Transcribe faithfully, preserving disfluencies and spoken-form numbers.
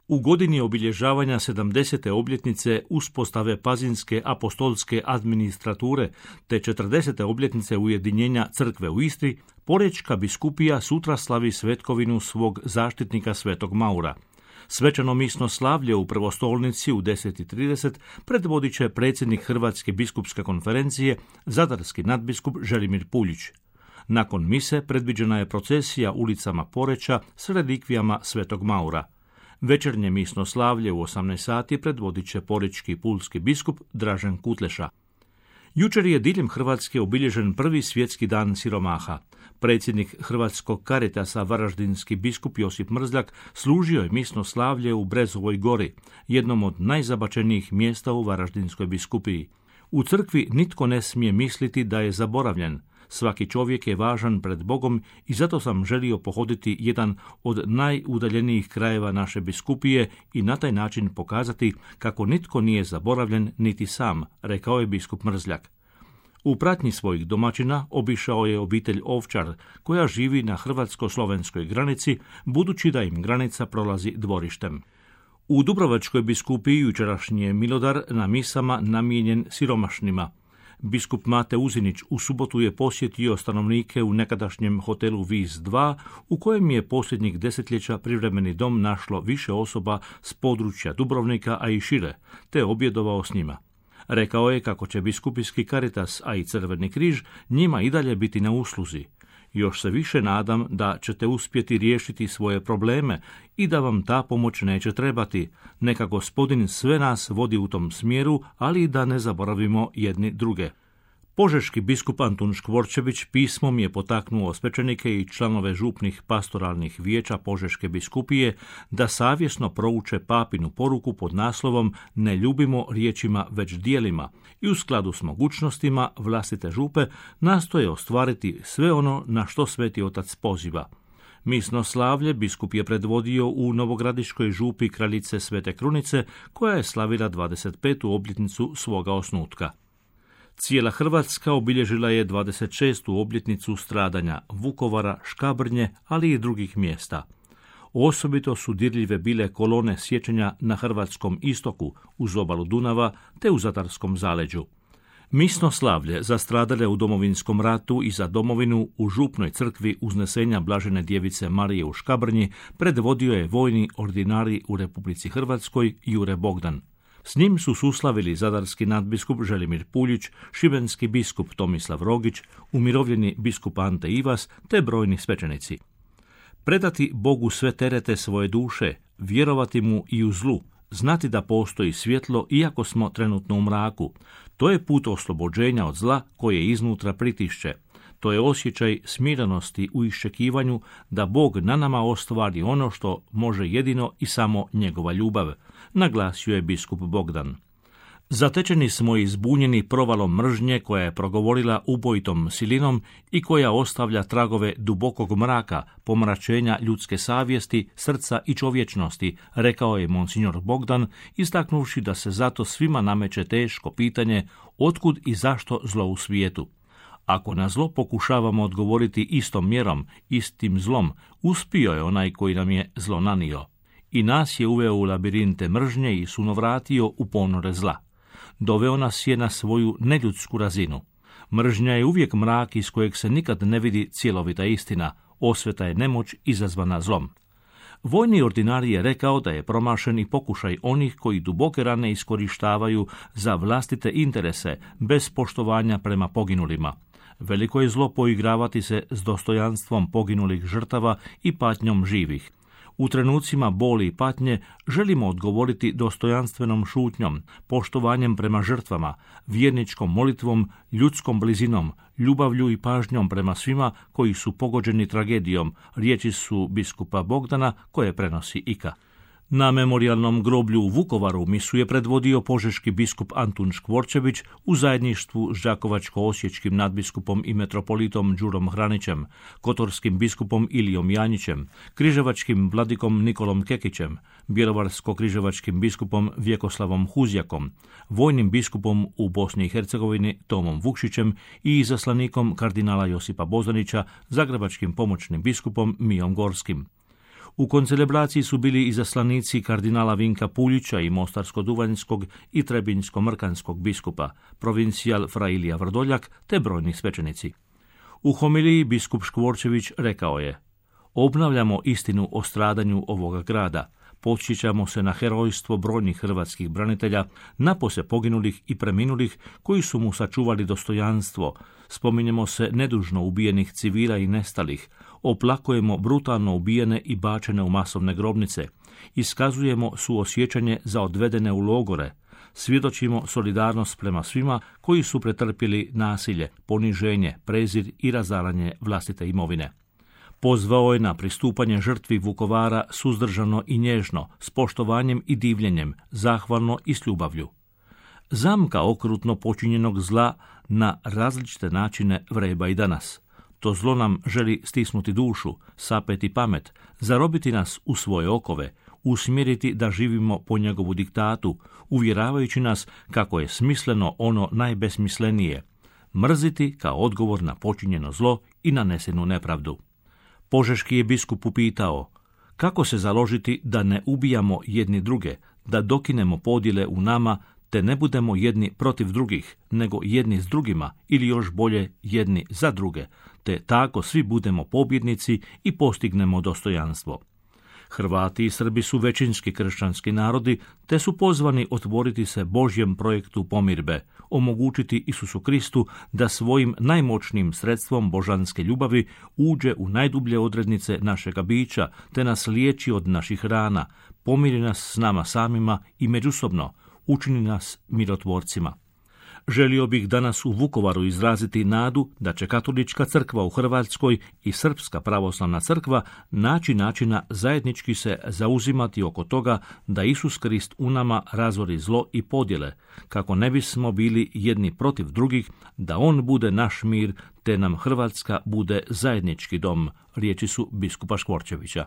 U godini obilježavanja sedamdesete obljetnice uspostave Pazinske apostolske administrature te četrdesete obljetnice ujedinjenja crkve u Istri, Porečka biskupija sutra slavi svetkovinu svog zaštitnika Svetog Maura. Svečano misno slavlje u Prvostolnici u deset i trideset predvodit će predsjednik Hrvatske biskupske konferencije, zadarski nadbiskup Želimir Puljić. Nakon mise predviđena je procesija ulicama Poreča s relikvijama Svetog Maura. Večernje misno slavlje u osamnaest sati predvodit će porečki pulski biskup Dražen Kutleša. Jučer je diljem Hrvatske obilježen prvi svjetski dan siromaha. Predsjednik Hrvatskog Caritasa varaždinski biskup Josip Mrzljak služio je misno slavlje u Brezovoj gori, jednom od najzabačenijih mjesta u Varaždinskoj biskupiji. U crkvi nitko ne smije misliti da je zaboravljen. Svaki čovjek je važan pred Bogom i zato sam želio pohoditi jedan od najudaljenijih krajeva naše biskupije i na taj način pokazati kako nitko nije zaboravljen niti sam, rekao je biskup Mrzljak. U pratnji svojih domaćina obišao je obitelj Ovčar, koja živi na hrvatsko-slovenskoj granici, budući da im granica prolazi dvorištem. U Dubrovačkoj biskupiji jučerašnji je milodar na misama namijenjen siromašnima. Biskup Mate Uzinić u subotu je posjetio stanovnike u nekadašnjem hotelu Vis dva, u kojem je posljednjih desetljeća privremeni dom našlo više osoba s područja Dubrovnika, a i šire, te objedovao s njima. Rekao je kako će biskupijski Caritas, a i Crveni križ, njima i dalje biti na usluzi. Još se više nadam da ćete uspjeti riješiti svoje probleme i da vam ta pomoć neće trebati. Neka Gospodin sve nas vodi u tom smjeru, ali i da ne zaboravimo jedni druge. Požeški biskup Antun Škvorčević pismom je potaknuo svećenike i članove župnih pastoralnih vijeća Požeške biskupije da savjesno prouče papinu poruku pod naslovom Ne ljubimo riječima već djelima i u skladu s mogućnostima vlastite župe nastoje ostvariti sve ono na što Sveti Otac poziva. Misno slavlje biskup je predvodio u Novogradiškoj župi Kraljice Svete Krunice, koja je slavila dvadeset petu obljetnicu svoga osnutka. Cijela Hrvatska obilježila je dvadeset šestu obljetnicu stradanja Vukovara, Škabrnje, ali i drugih mjesta. Osobito su dirljive bile kolone sjećanja na hrvatskom istoku, uz obalu Dunava, te u Zadarskom zaleđu. Misno slavlje za stradale u Domovinskom ratu i za domovinu u župnoj crkvi Uznesenja Blažene djevice Marije u Škabrnji predvodio je vojni ordinari u Republici Hrvatskoj Jure Bogdan. S njim su suslavili zadarski nadbiskup Želimir Puljić, šibenski biskup Tomislav Rogić, umirovljeni biskup Ante Ivas te brojni svećenici. Predati Bogu sve terete svoje duše, vjerovati mu i u zlu, znati da postoji svjetlo iako smo trenutno u mraku. To je put oslobođenja od zla koje iznutra pritišće. To je osjećaj smirenosti u iščekivanju da Bog na nama ostvari ono što može jedino i samo njegova ljubav, naglasio je biskup Bogdan. Zatečeni smo i zbunjeni provalom mržnje koja je progovorila ubojitom silinom i koja ostavlja tragove dubokog mraka, pomračenja ljudske savjesti, srca i čovječnosti, rekao je monsignor Bogdan, istaknuvši da se zato svima nameće teško pitanje otkud i zašto zlo u svijetu. Ako na zlo pokušavamo odgovoriti istom mjerom, istim zlom, uspio je onaj koji nam je zlo nanio. I nas je uveo u labirinte mržnje i sunovratio u ponore zla. Doveo nas je na svoju neljudsku razinu. Mržnja je uvijek mrak iz kojeg se nikad ne vidi cjelovita istina, osveta je nemoć izazvana zlom. Vojni ordinarij je rekao da je promašen i pokušaj onih koji duboke rane iskorištavaju za vlastite interese, bez poštovanja prema poginulima. Veliko je zlo poigravati se s dostojanstvom poginulih žrtava i patnjom živih. U trenucima boli i patnje želimo odgovoriti dostojanstvenom šutnjom, poštovanjem prema žrtvama, vjerničkom molitvom, ljudskom blizinom, ljubavlju i pažnjom prema svima koji su pogođeni tragedijom, riječi su biskupa Bogdana koje prenosi Ika. Na memorijalnom groblju u Vukovaru misu je predvodio požeški biskup Antun Škvorčević u zajedništvu s đakovačko-osječkim nadbiskupom i metropolitom Đurom Hranićem, kotorskim biskupom Ilijom Janjićem, križevačkim vladikom Nikolom Kekićem, bjelovarsko-križevačkim biskupom Vjekoslavom Huzjakom, vojnim biskupom u Bosni i Hercegovini Tomom Vukšićem i izaslanikom kardinala Josipa Bozanića, zagrebačkim pomoćnim biskupom Mijom Gorskim. U koncelebraciji su bili izaslanici kardinala Vinka Puljića i Mostarsko-Duvanjskog i Trebinjsko-Mrkanskog biskupa, provincijal fra Ilija Vrdoljak te brojni svećenici. U homiliji biskup Škvorčević rekao je: obnavljamo istinu o stradanju ovoga grada, podsjećamo se na herojstvo brojnih hrvatskih branitelja, napose poginulih i preminulih koji su mu sačuvali dostojanstvo, spominjemo se nedužno ubijenih civila i nestalih, oplakujemo brutalno ubijene i bačene u masovne grobnice, iskazujemo suosjećanje za odvedene u logore, svjedočimo solidarnost prema svima koji su pretrpjeli nasilje, poniženje, prezir i razaranje vlastite imovine. Pozvao je na pristupanje žrtvi Vukovara suzdržano i nježno, s poštovanjem i divljenjem, zahvalno i s ljubavlju. Zamka okrutno počinjenog zla na različite načine vreba i danas. To zlo nam želi stisnuti dušu, sapeti pamet, zarobiti nas u svoje okove, usmjeriti da živimo po njegovu diktatu, uvjeravajući nas kako je smisleno ono najbesmislenije, mrziti kao odgovor na počinjeno zlo i nanesenu nepravdu. Požeški je biskup upitao: kako se založiti da ne ubijamo jedni druge, da dokinemo podjele u nama, te ne budemo jedni protiv drugih, nego jedni s drugima ili još bolje jedni za druge, te tako svi budemo pobjednici i postignemo dostojanstvo. Hrvati i Srbi su većinski kršćanski narodi, te su pozvani otvoriti se Božjem projektu pomirbe, omogućiti Isusu Kristu da svojim najmoćnijim sredstvom božanske ljubavi uđe u najdublje odrednice našega bića, te nas liječi od naših rana, pomiri nas s nama samima i međusobno, učini nas mirotvorcima. Želio bih danas u Vukovaru izraziti nadu da će Katolička crkva u Hrvatskoj i Srpska pravoslavna crkva naći načina zajednički se zauzimati oko toga da Isus Krist u nama razori zlo i podjele, kako ne bismo bili jedni protiv drugih, da On bude naš mir, te nam Hrvatska bude zajednički dom, riječi su biskupa Škvorčevića.